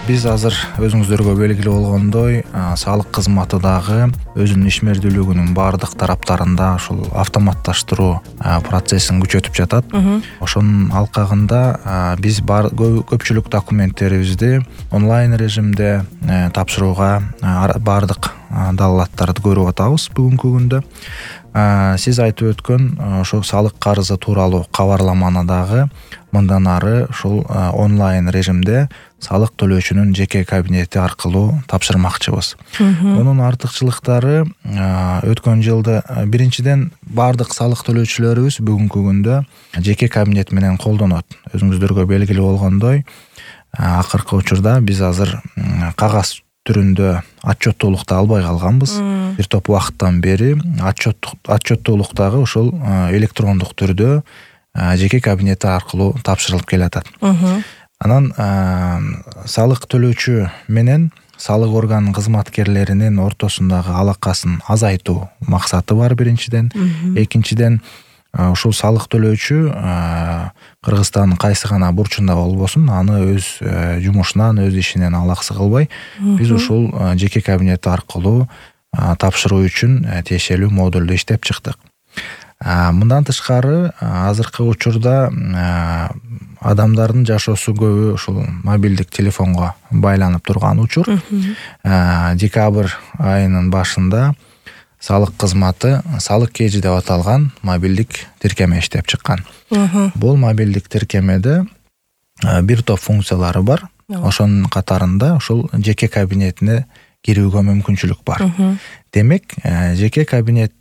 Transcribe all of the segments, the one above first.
Биз азыр өзүңүздөргө белгилүү болгондой, салык кызматы дагы өзүнүн ишмердүүлүгүнүн баардык тараптарында ушул автоматташтыруу процессин күчөтүп жатат. Ошонун алкагында биз көпчүлүк документтерибизди онлайн режимде тапшырууга баардык далаалаттарды көрүп атабыз бүгүнкү күндө. Сиз айтып өткөн ошол салык карызы тууралуу кабарламаны дагы мындан ары ушул онлайн режимде салык төлөөчүнүн жеке кабинети аркылуу тапшырмакчыбыз. Мунун артыкчылыктары өткөн жылда биринчиден баардык салык төлөөчүлөрүбүз бүгүнкү күндө жеке кабинет менен колдонот. Өзүңүздөргө белгилүү болгондой, акыркы учурда биз азыр кагаз түрүндө отчеттуулукту албай калганбыз. Бир топ убакыттан бери отчеттуулуктагы ушул электрондук түрдө жеке кабинети аркылуу тапшырылып келатат. Анан салык төлөөчү менен салык органынын кызматкерлеринин ортосундагы алакасын азайтуу максаты бар биринчиден. Экинчиден, ушул салык төлөөчү Кыргызстандын кайсы гана бурчунда болбосун, аны өз жумушунан, өз ишинен алаксы кылбай, биз ушул жеке кабинет аркылуу тапшыруу үчүн тиешелүү модулду иштеп чыктык. Мындан тышкары, азыркы учурда адамдардын жашоосу көбү ушул мобилдик телефонго байланып турган учур. Декабрь айынын башында салык кызматы салык кежи деп аталган мобилдик тиркеме иштеп чыккан. Бул мобилдик тиркемеде бир топ функциялары бар. Ошонун катарында ушул жеке кабинетине кирүүгө мүмкүнчүлүк бар. Демек, жеке кабинет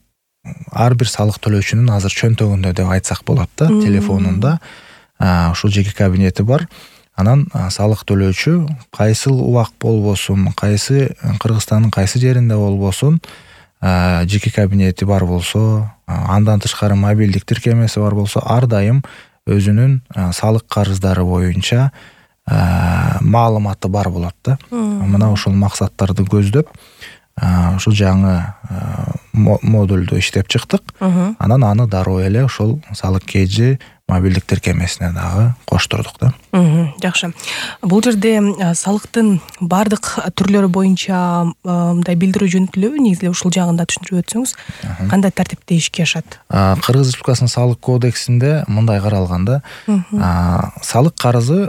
ар бир салык төлөөчүнүн азыр чөнтөгүндө деп айтсак болот да, телефонунда ушул жеке кабинети бар. Анан салык төлөөчү кайсыл убак болбосун, кайсы Кыргызстандын кайсы жеринде болбосун, жеке кабинети бар болсо, андан тышкары мобилдик тиркемеси бар болсо, ар дайым өзүнүн салык карыздары боюнча маалыматы бар болот да. Мына ушул максаттарды көздөп, ушул жаңы модулду иштеп чыктык. Анан аны дароо эле ушул салык кежи мобилдик тиркемесине дагы коштурдук да. Жакшы. Бул жерде салыктын бардык түрлөрү боюнча мындай билдирүү жөнөтүлөбү? Негизи ушул жагында түшүндүрүп өтсөңүз, кандай тартипте ишке ашат? Кыргыз Республикасынын салык кодексинде мындай каралган да. Салык карызы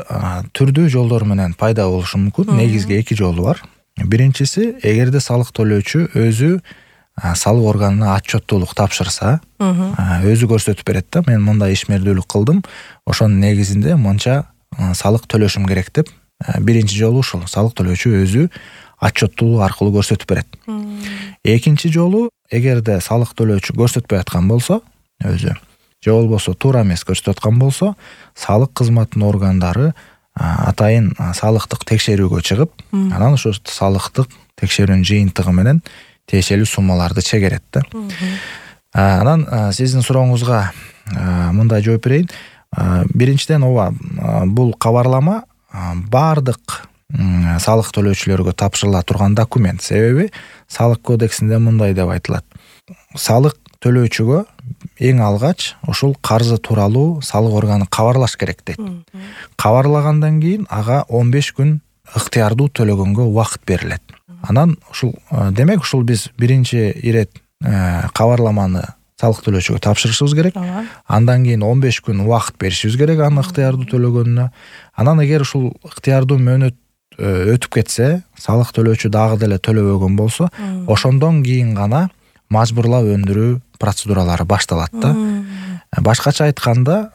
түрдүү жолдор менен пайда болушу мүмкүн. Негизги эки жолу бар. Биринчиси, эгерде салык төлөөчү өзү салык органына отчеттуулук тапшырса, өзү көрсөтүп берет да, мен мындай ишмердүүлүк кылдым, ошонун негизинде мынча салык төлөшүм керек деп, биринчи жолу ушул салык төлөөчү өзү отчеттуулук аркылуу көрсөтүп берет. Экинчи жолу, эгерде салык төлөөчү көрсөтпөй аткан болсо, өзү же болбосо туура эмес көрсөтүп аткан болсо, салык кызматынын органдары атайын салыктык текшерүүгө чыгып, анан ошо салыктык текшерүүнүн жыйынтыгы менен тиешелүү суммаларды чегерет да. Анан сиздин сурооңузга мындай жооп берейин. Биринчиден, бул кабарлама баардык салык төлөөчүлөргө тапшырыла турган документ. Себеби салык кодексинде мындай деп айтылат. Салык төлөөчүгө эң алгач ушул карызы тууралуу салык органы кабарлаш керек дейт. Кабарлагандан кийин ага 15 күн ыктыярдуу төлөгөнгө убакыт берилет. Анан ушул демек ушул биз биринчи ирет кабарламаны салык төлөөчүгө тапшырышыбыз керек. Андан кийин 15 күн убакыт беришибиз керек аны ыктыярдуу төлөгөнүнө. Анан эгер ушул ыктыярдуу мөөнөт өтүп кетсе, салык төлөөчү дагы деле төлөбөгөн болсо, ошондон кийин гана мажбурлап өндүрүү процедуралары башталат да. Башкача айтканда,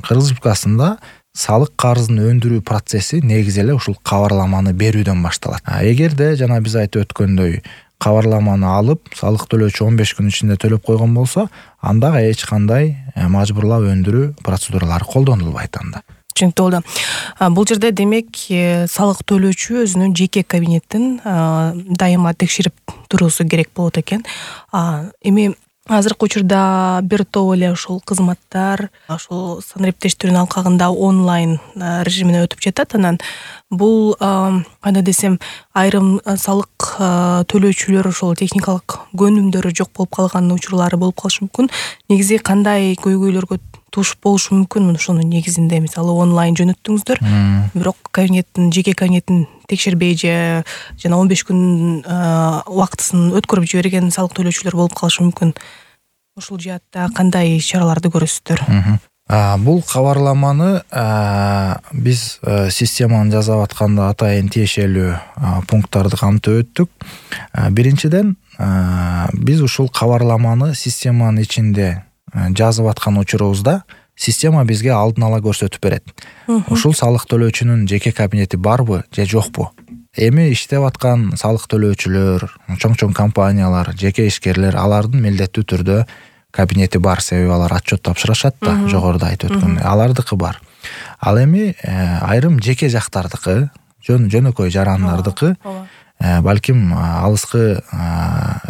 Кыргыз Республикасында салык карызын өндүрүү процесси негизи эле ушул кабарламаны берүүдөн башталат. Эгерде жана биз айтып өткөндөй кабарламаны алып, салык төлөөчү 15 күн ичинде төлөп койгон болсо, анда эч кандай мажбурлап өндүрүү процедуралары колдонулбайт анда. Түшүнүктүү болду. Бул жерде демек салык төлөөчү өзүнүн жеке кабинетин дайыма текшерип туруусу керек болот экен. Эми азыркы учурда бир топ эле ушул кызматтар ушул санариптештирүүнүн алкагында онлайн режимине өтүп жатат. Анан бул кандай десем, айрым салык төлөөчүлөр ошол техникалык көнүмдөрү жок болуп калган учурлары болуп калышы мүмкүн. Негизи кандай көйгөйлөргө туш болушу мүмкүн. Ошонун негизинде мисалы онлайн жөнөттүңүздөр, бирок жеке кабинеттин текшербей же жана 15 күн убактысын өткөрүп жиберген салык төлөөчүлөр болуп калышы мүмкүн. Ушул жаатта кандай чараларды көрөсүздөр? Бул кабарламаны биз системаны жасап атканда атайын тиешелүү пункттарды камтып өттүк. Биринчиден, биз ушул кабарламаны системанын ичинде жазып аткан учурубузда система бизге алдын ала көрсөтүп берет. Ушул салык төлөөчүнүн жеке кабинети барбы же жокпу? Эми иштеп аткан салык төлөөчүлөр, чоң компаниялар, жеке ишкерлер алардын милдеттүү түрдө кабинети бар, себеби алар отчет тапшырышат да, жогоруда айтып өткөндөй. Алардыкы бар. Ал эми айрым жеке жактардыкы, жөнөкөй жарандардыкы, балким алыскы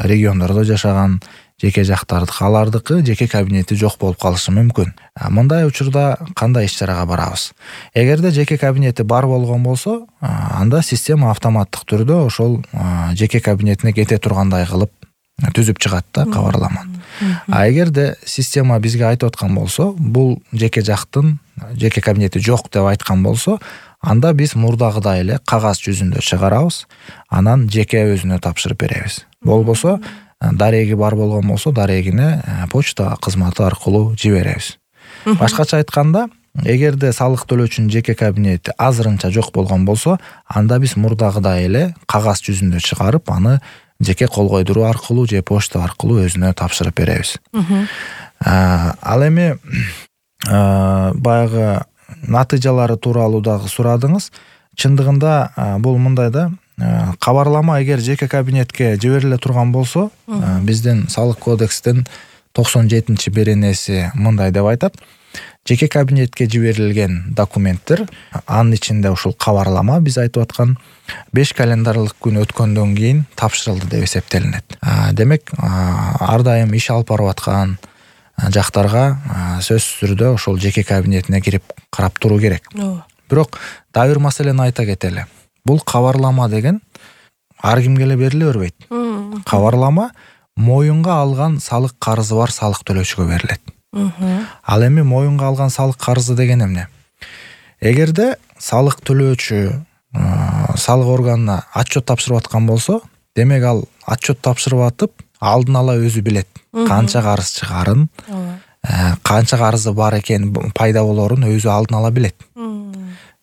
региондордо жашаган жеке жактардыкы, алардыкы жеке кабинети жок болуп калышы мүмкүн. Мындай учурда кандай иш-чарага барабыз? Эгерде жеке кабинети бар болгон болсо, анда система автоматтык түрдө ошол жеке кабинетине кете тургандай кылып түзүп чыгат да кабарламаны. Эгерде система бизге айтып аткан болсо, бул жеке жактын жеке кабинети жок деп айткан болсо, анда биз мурдагыдай эле кагаз жүзүндө чыгарабыз, анан жеке өзүнө тапшырып беребиз. Болбосо, дареги бар болгон болсо, дарегине почта кызматы аркылуу жиберебиз. Башкача айтканда, эгерде салык төлөөчүнүн жеке кабинети азырынча жок болгон болсо, анда биз мурдагыдай эле кагаз жүзүндө чыгарып, аны жеке кол койдуруу аркылуу же почта аркылуу өзүнө тапшырып беребиз. Ал эми баягы натыйжалары тууралуу дагы сурадыңыз. Чындыгында бул мындай да, кабарлама эгер жеке кабинетке жибериле турган болсо, биздин салык кодекстин 97-чи беренеси мындай деп айтат: жеке кабинетке жиберилген документтер, анын ичинде ушул кабарлама биз айтып аткан 5 календарлык күн өткөндөн кийин тапшырылды деп эсептелинет. Демек, ар дайым иш алып барып аткан жактарга сөзсүз түрдө ошол жеке кабинетине кирип карап туруу керек. Бирок дагы бир маселени айта кетели. Бул кабарлама деген ар кимге эле бериле бербейт. Кабарлама моюнга алган салык карызы бар салык төлөөчүгө берилет. Ал эми моюнга алган салык карызы деген эмне? Эгерде салык төлөөчү салык органына отчет тапшырып аткан болсо, демек ал отчет тапшырып атып, алдын ала өзү билет канча карыз чыгарын, канча карызы бар экен, пайда болорун өзү алдын ала билет.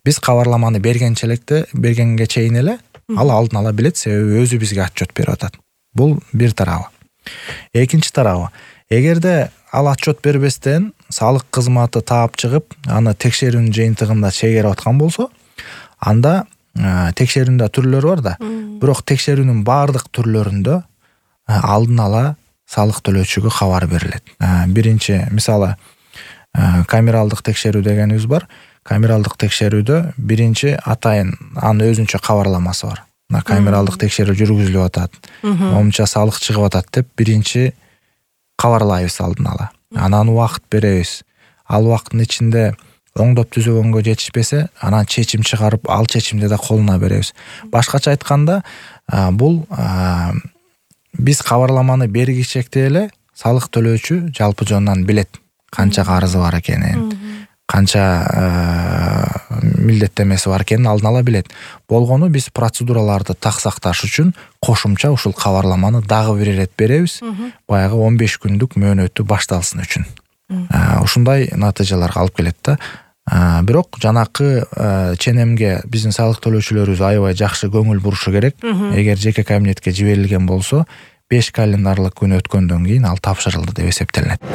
Биз кабарламаны бергенге чейин эле ал алдын ала билет, себеби өзү бизге отчет берип атат. Бул бир тарабы. Экинчи тарабы, эгерде ал отчет бербестен салык кызматы таап чыгып, аны текшерүүнүн жыйынтыгында чегерип аткан болсо, анда текшерүүндө түрлөр бар да, бирок текшерүүнүн баардык түрлөрүндө алдын ала салык төлөөчүгө кабар берилет. Биринчи, мисалы, камералдык текшерүү дегенибиз бар. Камералдык текшерүүдө биринчи атайын анын өзүнчө кабарламасы бар. Камералдык текшерүү жүргүзүлүп атат, момунча салык чыгып атат деп биринчи кабарлайбыз алдын ала. Анан убакыт беребиз. Ал убакыттын ичинде оңдоп түзөгөнгө жетишпесе, анан чечим чыгарып, ал чечимди да колуна беребиз. Башкача айтканда, бул биз кабарламаны бергичекте эле салык төлөөчү жалпы жонунан билет канча карызы бар экенин, канча милдеттемеси бар экенин алдын ала билет. Болгону биз процедураларды так сакташ үчүн кошумча ушул кабарламаны дагы бир ирет беребиз, баягы 15 күндүк мөөнөтү башталсын үчүн. Ушундай натыйжаларга алып келет да. Бирок жанакы ченемге биздин салык төлөөчүлөрүбүз аябай жакшы көңүл бурушу керек. Эгер жеке кабинетке жиберилген болсо, 5 календарлык күн өткөндөн кийин ал тапшырылды деп эсептелинет.